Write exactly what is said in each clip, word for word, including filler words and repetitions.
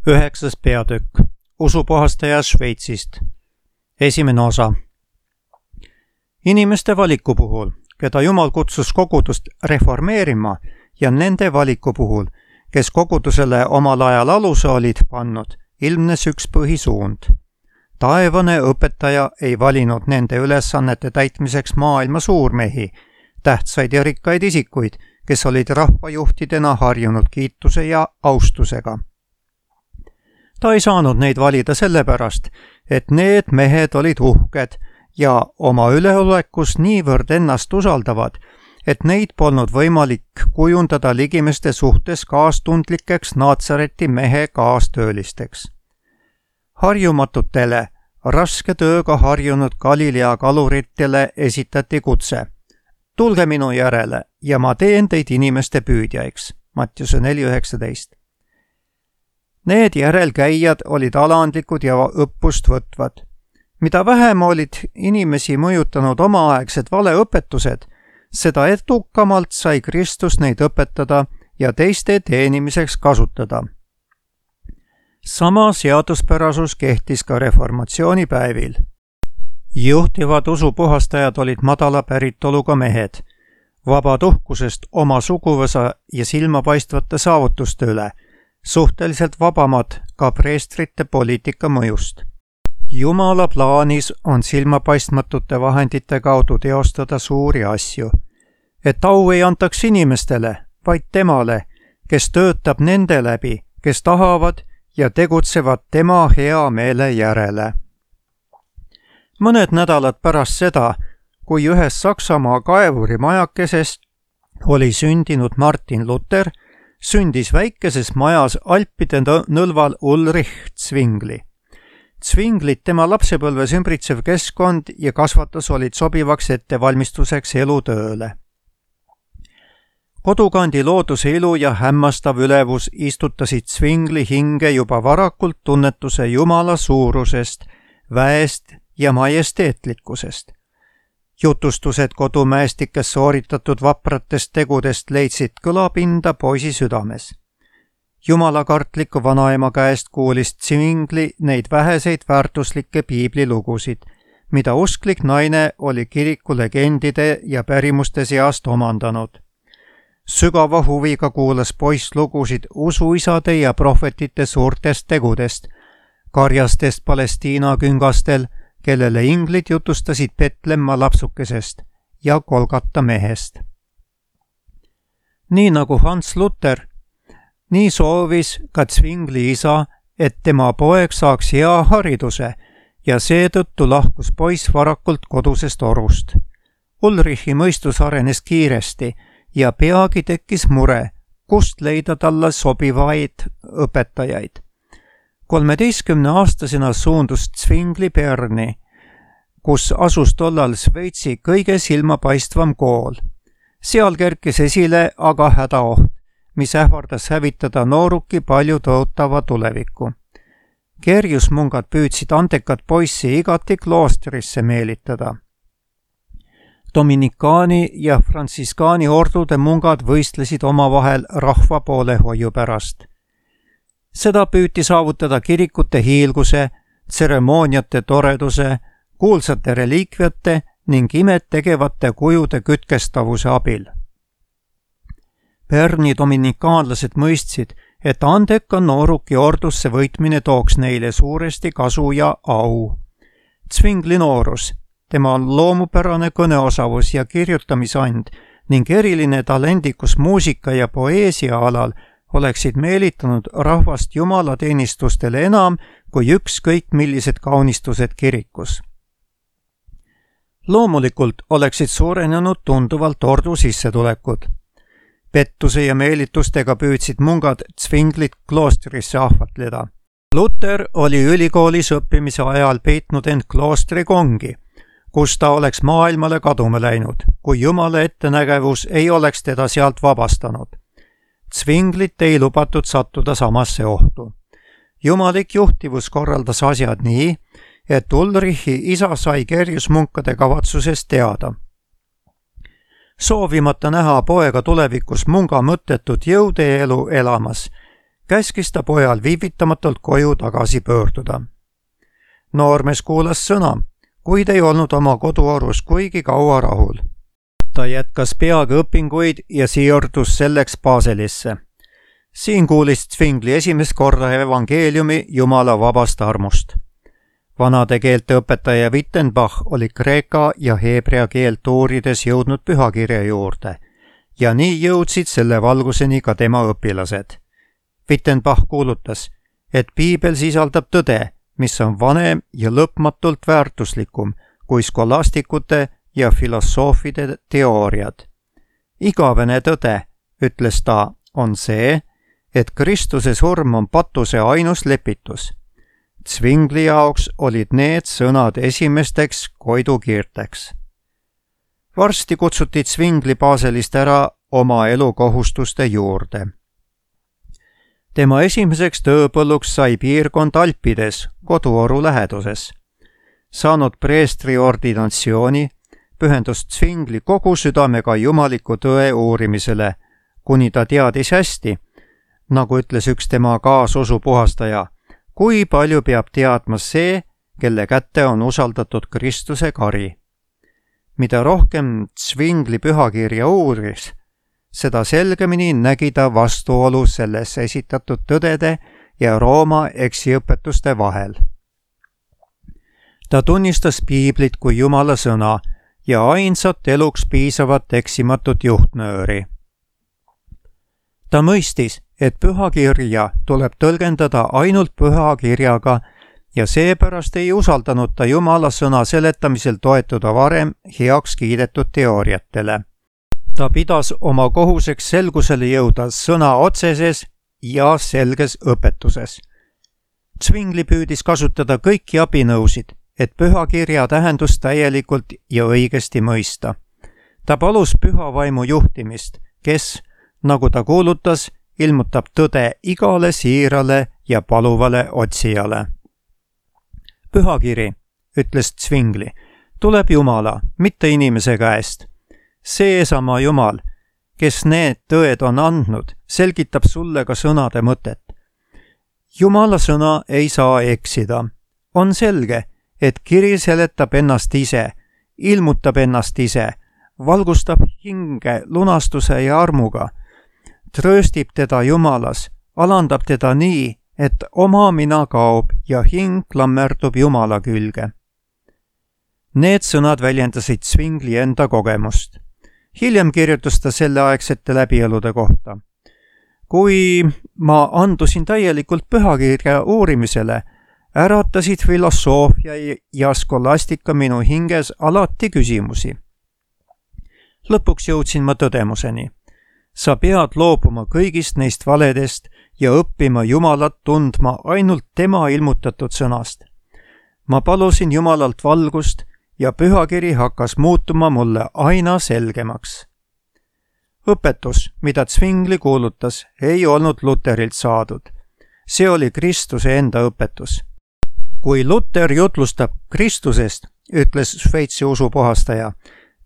Üheksas peatükk. Usupuhastaja Šveitsist. Esimene osa. Inimeste valiku puhul, keda Jumal kutsus kogudust reformeerima, ja nende valiku puhul, kes kogudusele omal ajal aluse olid pannud, ilmnes üks põhisuund. Taevane õpetaja ei valinud nende ülesannete täitmiseks maailma suurmehi, tähtsaid ja rikkaid isikuid, kes olid rahvajuhtidena harjunud kiituse ja austusega. Ta ei saanud neid valida sellepärast, et need mehed olid uhked ja oma üleolekus niivõrd ennast usaldavad, et neid polnud võimalik kujundada ligimeste suhtes kaastundlikeks Naatsareti mehe kaastöölisteks. Harjumatutele, raske tööga harjunud Galilea kaluritele esitati kutse. Tulge minu järele ja ma teen teid inimeste püüdjaiks. Mattiuse neli üheksateist. Need järelkäijad olid alandlikud ja õppust võtvad. Mida vähem olid inimesi mõjutanud omaaegsed valeõpetused, seda edukamalt sai Kristus neid õpetada ja teiste teenimiseks kasutada. Sama seaduspärasus kehtis ka reformatsiooni päevil. Juhtivad usupuhastajad olid madala päritoluga mehed, vabad uhkusest oma suguvõsa ja silmapaistvate saavutuste üle, suhteliselt vabamad ka preestrite poliitika mõjust. Jumala plaanis on silmapaistmatute vahendite kaudu teostada suuri asju, et au ei antaks inimestele, vaid temale, kes töötab nende läbi, kes tahavad ja tegutsevad tema hea meele järele. Mõned nädalad pärast seda, kui ühes Saksamaa kaevuri majakesest oli sündinud Martin Luther, sündis väikeses majas Alpide nõlval Ulrich Zwingli. Zwinglit tema lapsepõlves ümbritsev keskkond ja kasvatus olid sobivaks ettevalmistuseks elutööle. Kodukandi looduse ilu ja hämmastav ülevus istutasid Zwingli hinge juba varakult tunnetuse Jumala suurusest, väest ja majesteetlikkusest. Jutustused kodumäestikes sooritatud vapratest tegudest leidsid kõlapinda poisi südames. Jumalakartliku vanaema käest kuulis Zwingli neid väheseid väärtuslikke piiblilugusid, mida usklik naine oli kiriku legendide ja pärimuste seast omandanud. Sügava huviga kuulas poiss lugusid usuisade ja prohvetite suurtest tegudest, karjastest Palestiina küngastel, kellele inglid jutustasid Petlemma lapsukesest ja Kolgata mehest. Nii nagu Hans Luther, nii soovis ka Zwingli isa, et tema poeg saaks hea hariduse ja seetõttu lahkus poiss varakult kodusest orust. Ulrichi mõistus arenes kiiresti ja peagi tekkis mure, kust leida talle sobivaid õpetajaid. kolmeteistkümne aastasena suundus Zwingli Berni, kus asus tollal Šveitsi kõige silmapaistvam kool. Seal kerkis esile aga hädaoht, mis ähvardas hävitada nooruki palju tõotava tuleviku. Kerjusmungad püüdsid andekat poissi igati kloostrisse meelitada. Dominikaani ja frantsiskaani ordude mungad võistlesid omavahel rahva poolehoiu pärast. Seda püüti saavutada kirikute hiilguse, tseremooniate toreduse, kuulsate reliikviate ning imet tegevate kujude kütkestavuse abil. Berni dominikaanlased mõistsid, et andeka nooruki ordusse võitmine tooks neile suuresti kasu ja au. Zwingli noorus, tema loomupärane kõneosavus ja kirjutamisand ning eriline talendikus muusika ja poeesia alal oleksid meelitanud rahvast jumalateenistustele enam kui ükskõik millised kaunistused kirikus. Loomulikult oleksid suurenenud tunduvalt ordu sissetulekud. Pettuse ja meelitustega püüdsid mungad Zwinglit kloostrisse ahvatleda. Luther oli ülikoolis õppimise ajal peitnud end kloostri kongi, kus ta oleks maailmale kaduma läinud, kui Jumala ettenägevus ei oleks teda sealt vabastanud. Zwinglit ei lubatud sattuda samasse ohtu. Jumalik juhtivus korraldas asjad nii, et Ulrichi isa sai kerjusmunkade kavatsusest teada. Soovimata näha poega tulevikus munga mõttetut jõudeelu elamas, käskis ta pojal viivitamatult koju tagasi pöörduda. Noormees kuulas sõna, kuid ei olnud oma koduorus kuigi kaua rahul. Ta jätkas peagi õpinguid ja siirdus selleks Baselisse. Siin kuulis Zwingli esimest korda evangeeliumi Jumala vabast armust. Vanade keelte õpetaja Wittenbach oli kreeka ja heebrea keelt uurides jõudnud pühakirja juurde ja nii jõudsid selle valguseni ka tema õpilased. Wittenbach kuulutas, et piibel sisaldab tõde, mis on vanem ja lõpmatult väärtuslikum kui skolastikute ja filosoofide teooriad. Igavene tõde, ütles ta, on see, et Kristuse surm on patuse ainus lepitus. Zwingli jaoks olid need sõnad esimesteks koidukiirteks. Varsti kutsuti Zwingli Baselist ära oma elukohustuste juurde. Tema esimeseks tööpõlluks sai piirkond Alpides, koduoru läheduses. Saanud preestri ordinatsiooni, pühendus Zwingli kogu südamega jumaliku tõe uurimisele, kuni ta teadis hästi, nagu ütles üks tema kaasosu puhastaja, kui palju peab teadma see, kelle kätte on usaldatud Kristuse kari. Mida rohkem Zwingli pühakirja uuris, seda selgemini nägi ta vastuolu selles esitatud tõdede ja Rooma eksiõpetuste vahel. Ta tunnistas piiblit kui Jumala sõna ja ainsat eluks piisavat eksimatut juhtnööri. Ta mõistis, et pühakirja tuleb tõlgendada ainult pühakirjaga ja seepärast ei usaldanud ta Jumala sõna seletamisel toetuda varem heaks kiidetud teooriatele. Ta pidas oma kohuseks selgusele jõuda sõna otseses ja selges õpetuses. Zwingli püüdis kasutada kõiki abinõusid, et pühakirja tähendust täielikult ja õigesti mõista. Ta palus püha vaimu juhtimist, kes, nagu ta kuulutas, ilmutab tõde igale siirale ja paluvale otsijale. Pühakiri, ütles Zwingli, tuleb Jumala, mitte inimese käest. Seesama Jumal, kes need tõed on andnud, selgitab sulle ka sõnade mõtet. Jumala sõna ei saa eksida. On selge, et kiri seletab ennast ise, ilmutab ennast ise, valgustab hinge lunastuse ja armuga, trööstib teda Jumalas, alandab teda nii, et oma mina kaob ja hing klammerdub Jumala külge. Need sõnad väljendasid Zwingli enda kogemust. Hiljem kirjutas ta selleaegsete läbielude kohta. Kui ma andusin täielikult pühakirja uurimisele, äratasid filosoofia ja skolastika minu hinges alati küsimusi. Lõpuks jõudsin ma tõdemuseni. Sa pead loobuma kõigist neist valedest ja õppima Jumalat tundma ainult tema ilmutatud sõnast. Ma palusin Jumalalt valgust ja pühakiri hakkas muutuma mulle aina selgemaks. Õpetus, mida Zwingli kuulutas, ei olnud Luterilt saadud. See oli Kristuse enda õpetus. Kui Luter jutlustab Kristusest, ütles Šveitsi usupuhastaja,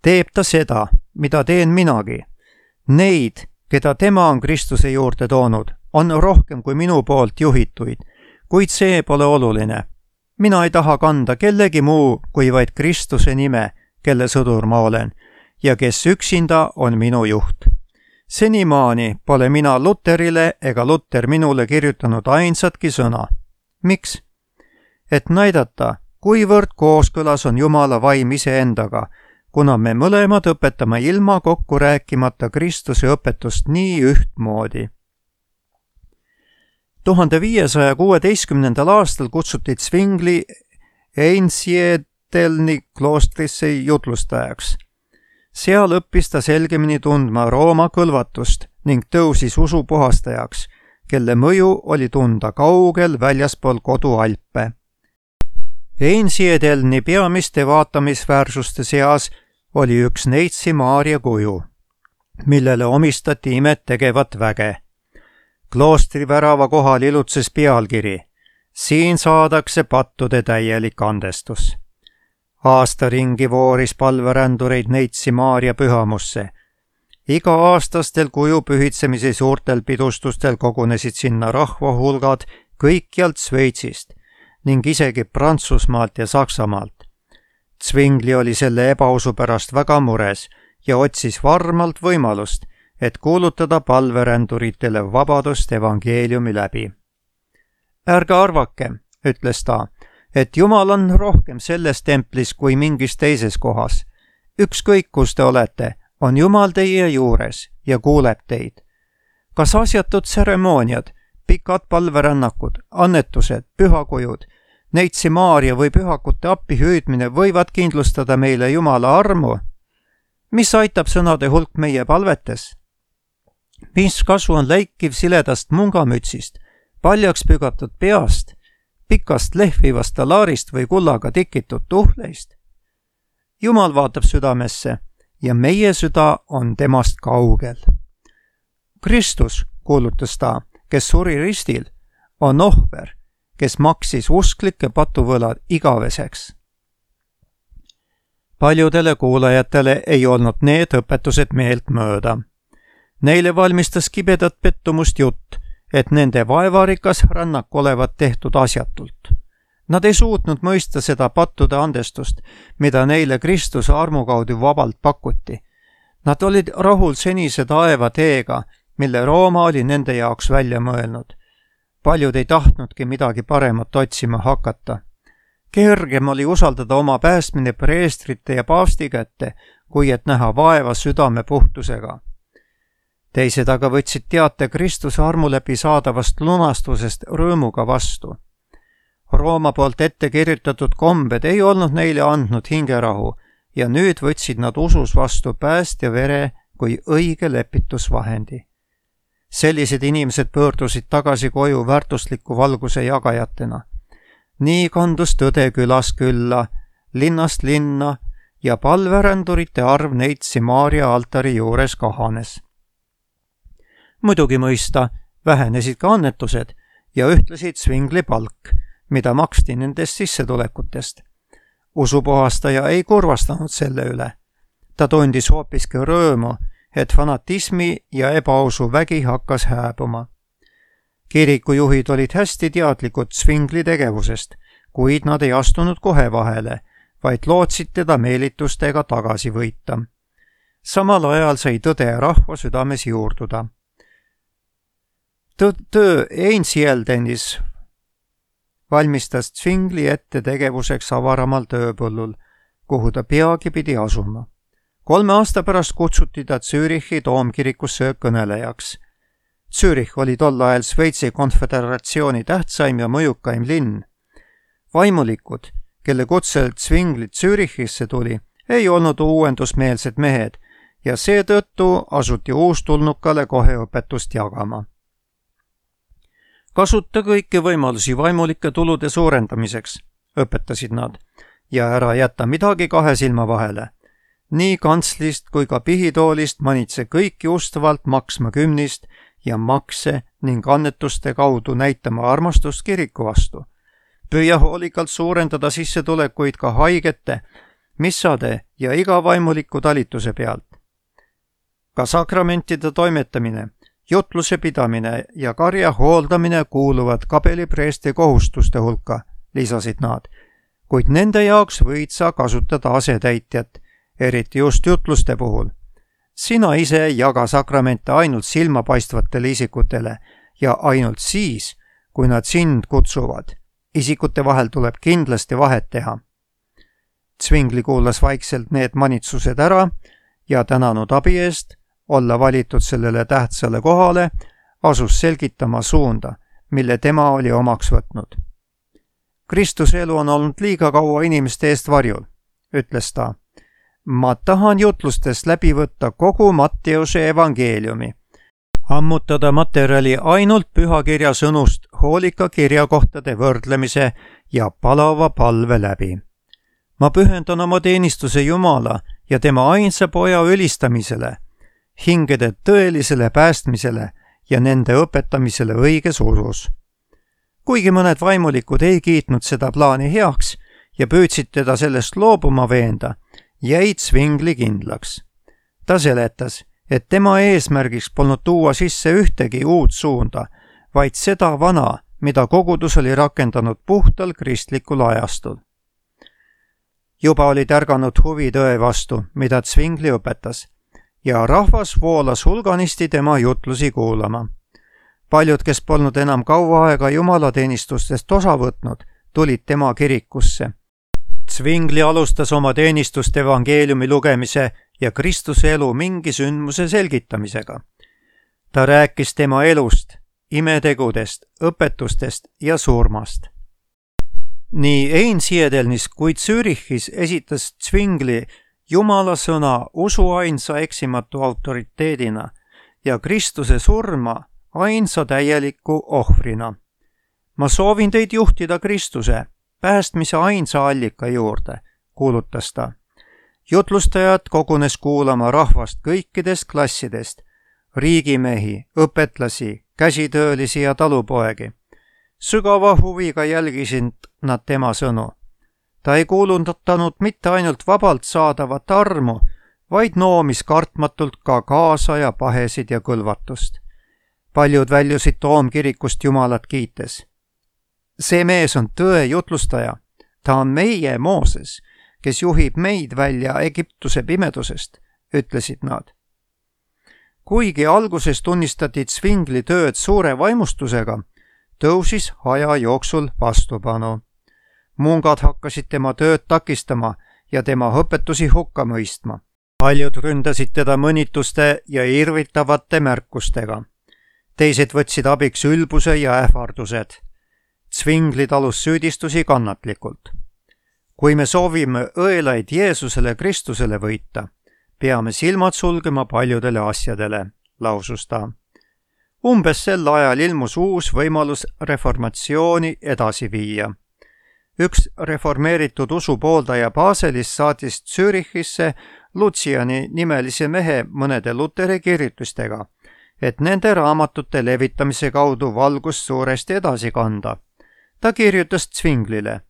teeb ta seda, mida teen minagi. Neid, keda tema on Kristuse juurde toonud, on rohkem kui minu poolt juhituid, kuid see pole oluline. Mina ei taha kanda kellegi muu kui vaid Kristuse nime, kelle sõdur ma olen, ja kes üksinda on minu juht. Senimaani pole mina Luterile ega Luter minule kirjutanud ainsatki sõna. Miks? Et näidata, kuivõrd kooskõlas on Jumala vaim iseendaga, kuna me mõlemad õpetame ilma kokku rääkimata Kristuse õpetust nii ühtmoodi. tuhande viiesaja kuueteistkümnendal aastal kutsuti Zwingli Einsiedelni kloostrisse jutlustajaks. Seal õppis ta selgemini tundma Rooma kõlvatust ning tõusis usupuhastajaks, kelle mõju oli tunda kaugel väljaspool kodualpe. Einsiedelni peamiste vaatamisväärsuste seas oli üks neitsi Maaria kuju, millele omistati imet tegevat väge. Kloostri värava kohal ilutses pealkiri. Siin saadakse pattude täielik andestus. Aasta ringi vooris palverändureid neitsi Maaria pühamusse. Iga-aastastel kujupühitsemise suurtel pidustustel kogunesid sinna rahvahulgad kõikjalt Sveitsist ning isegi Prantsusmaalt ja Saksamaalt. Zwingli oli selle ebausu pärast väga mures ja otsis varmalt võimalust, et kuulutada palveränduritele vabadust evangeeliumi läbi. Ärge arvake, ütles ta, et Jumal on rohkem selles templis kui mingis teises kohas. Ükskõik, kus te olete, on Jumal teie juures ja kuuleb teid. Kas asjatud tseremooniad, pikad palverännakud, annetused, pühakujud, neitsi Maaria või pühakute appi hüüdmine võivad kindlustada meile Jumala armu? Mis aitab sõnade hulk meie palvetes? Mis kasu on läikiv siledast mungamütsist, paljaks pügatud peast, pikast lehvivast talaarist või kullaga tikitud tuhleist? Jumal vaatab südamesse ja meie süda on temast kaugel. Kristus, kuulutas ta, kes suri ristil, on ohver, kes maksis usklike patuvõlad igaveseks. Paljudele kuulajatele ei olnud need õpetused meelt mööda. Neile valmistas kibedat pettumust jutt, et nende vaevarikas rännak olevat tehtud asjatult. Nad ei suutnud mõista seda pattude andestust, mida neile Kristuse armu kaudu vabalt pakuti. Nad olid rahul senise taeva teega, mille Rooma oli nende jaoks välja mõelnud. Paljud ei tahtnudki midagi paremat otsima hakata. Kergem oli usaldada oma päästmine preestrite ja paavsti kätte, kui et näha vaeva südame puhtusega. Teised aga võtsid teate Kristuse armu läbi saadavast lunastusest rõõmuga vastu. Rooma poolt ette kirjutatud kombed ei olnud neile andnud hingerahu ja nüüd võtsid nad usus vastu päästja vere kui õige lepitusvahendi. Sellised inimesed pöördusid tagasi koju väärtusliku valguse jagajatena. Nii kandus tõde külas külla, linnast linna ja palverändurite arv neitsi Maaria altari juures kahanes. Muidugi mõista vähenesid ka annetused ja ühtlesid Zwingli palk, mida maksti nendest sissetulekutest. Usupuhastaja ei kurvastanud selle üle. Ta tundis hoopiski rõõmu, et fanatismi ja ebausu vägi hakkas hääbuma. Kirikujuhid olid hästi teadlikud Zwingli tegevusest, kuid nad ei astunud kohe vahele, vaid lootsid teda meelitustega tagasi võita. Samal ajal sai tõde rahva südames juurduda. Töö Einsiedelnis valmistas Zwingli ette tegevuseks avaramal tööpõllul, kuhu ta peagi pidi asuma. Kolme aasta pärast kutsuti ta Zürichi toomkirikusse kõnelejaks. Zürich oli tol ajal Sveitsi konföderatsiooni tähtsaim ja mõjukaim linn. Vaimulikud, kelle kutsel Zwingli Zürichisse tuli, ei olnud uuendusmeelsed mehed ja seetõttu asuti uustulnukale kohe õpetust jagama. Kasuta kõiki võimalusi vaimulike tulude suurendamiseks, õpetasid nad, ja ära jätta midagi kahe silma vahele. Nii kantslist kui ka pihitoolist manitse kõiki ustavalt maksma kümnist ja makse ning annetuste kaudu näitama armastust kiriku vastu. Püüa hoolikalt suurendada sissetulekuid ka haigete, missade ja iga vaimuliku talituse pealt. Ka sakramentide toimetamine, jutluse pidamine ja karja hooldamine kuuluvad kapelipreesti kohustuste hulka, lisasid nad, kuid nende jaoks võid sa kasutada asetäitjat, eriti just jutluste puhul. Sina ise jaga sakramente ainult silmapaistvatele isikutele ja ainult siis, kui nad sind kutsuvad. Isikute vahel tuleb kindlasti vahet teha. Zwingli kuulas vaikselt need manitsused ära ja tänanud abi eest, olla valitud sellele tähtsale kohale, asus selgitama suunda, mille tema oli omaks võtnud. Kristuse elu on olnud liiga kaua inimeste eest varjul, ütles ta. Ma tahan jutlustest läbi võtta kogu Matteuse evangeeliumi, ammutada materjali ainult pühakirja sõnust hoolika kirjakohtade võrdlemise ja palava palve läbi. Ma pühendan oma teenistuse Jumala ja tema ainsa poja ülistamisele, hingede tõelisele päästmisele ja nende õpetamisele õiges usus. Kuigi mõned vaimulikud ei kiitnud seda plaani heaks ja püüdsid teda sellest loobuma veenda, jäid Zwingli kindlaks. Ta seletas, et tema eesmärgiks polnud tuua sisse ühtegi uut suunda, vaid seda vana, mida kogudus oli rakendanud puhtal kristlikul ajastul. Juba oli tärganud huvi tõe vastu, mida Zwingli õpetas, ja rahvas voolas hulganisti tema jutlusi kuulama. Paljud, kes polnud enam kaua aega jumalateenistustest osa võtnud, tulid tema kirikusse. Zwingli alustas oma teenistust evangeeliumi lugemise ja Kristuse elu mingi sündmuse selgitamisega. Ta rääkis tema elust, imetegudest, õpetustest ja surmast. Nii Einsiedelnis kui Zürichis esitas Zwingli Jumala sõna usu ainsa eksimatu autoriteedina ja Kristuse surma ainsa täieliku ohvrina. Ma soovin teid juhtida Kristuse, päästmise ainsa allika juurde, kuulutas ta. Jutlustajad kogunes kuulama rahvast kõikidest klassidest, riigimehi, õpetlasi, käsitöölisi ja talupoegi. Sügava huviga jälgisid nad tema sõnu. Ta ei kuulutanud mitte ainult vabalt saadavat armu, vaid noomis kartmatult ka kaasa ja pahesid ja kõlvatust. Paljud väljusid toomkirikust Jumalat kiites. See mees on tõe jutlustaja. Ta on meie Mooses, kes juhib meid välja Egiptuse pimedusest, ütlesid nad. Kuigi alguses tunnistati Zwingli tööd suure vaimustusega, tõusis aja jooksul vastupanu. Mungad hakkasid tema tööd takistama ja tema õpetusi hukka mõistma. Paljud ründasid teda mõnituste ja irvitavate märkustega. Teised võtsid abiks ülbuse ja ähvardused. Zwingli talus süüdistusi kannatlikult. Kui me soovime õelaid Jeesusele Kristusele võita, peame silmad sulgema paljudele asjadele, lausus ta. Umbes sel ajal ilmus uus võimalus reformatsiooni edasi viia. Üks reformeeritud usu pooldaja Baselis saatis Zürichisse Luciani nimelise mehe mõnede Luteri kirjutustega, et nende raamatute levitamise kaudu valgust suuresti edasi kanda. Ta kirjutas Zwinglile.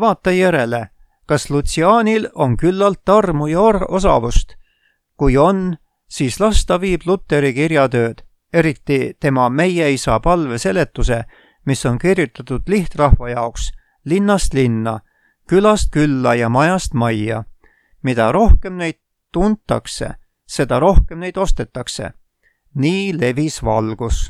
Vaata järele, kas Lucianil on küllalt armu ja osavust. Kui on, siis las ta viib Luteri kirjatööd, eriti tema meie isa palve seletuse, mis on kirjutatud lihtrahva jaoks, linnast linna, külast külla ja majast majja. Mida rohkem neid tuntakse, seda rohkem neid ostetakse. Nii levis valgus.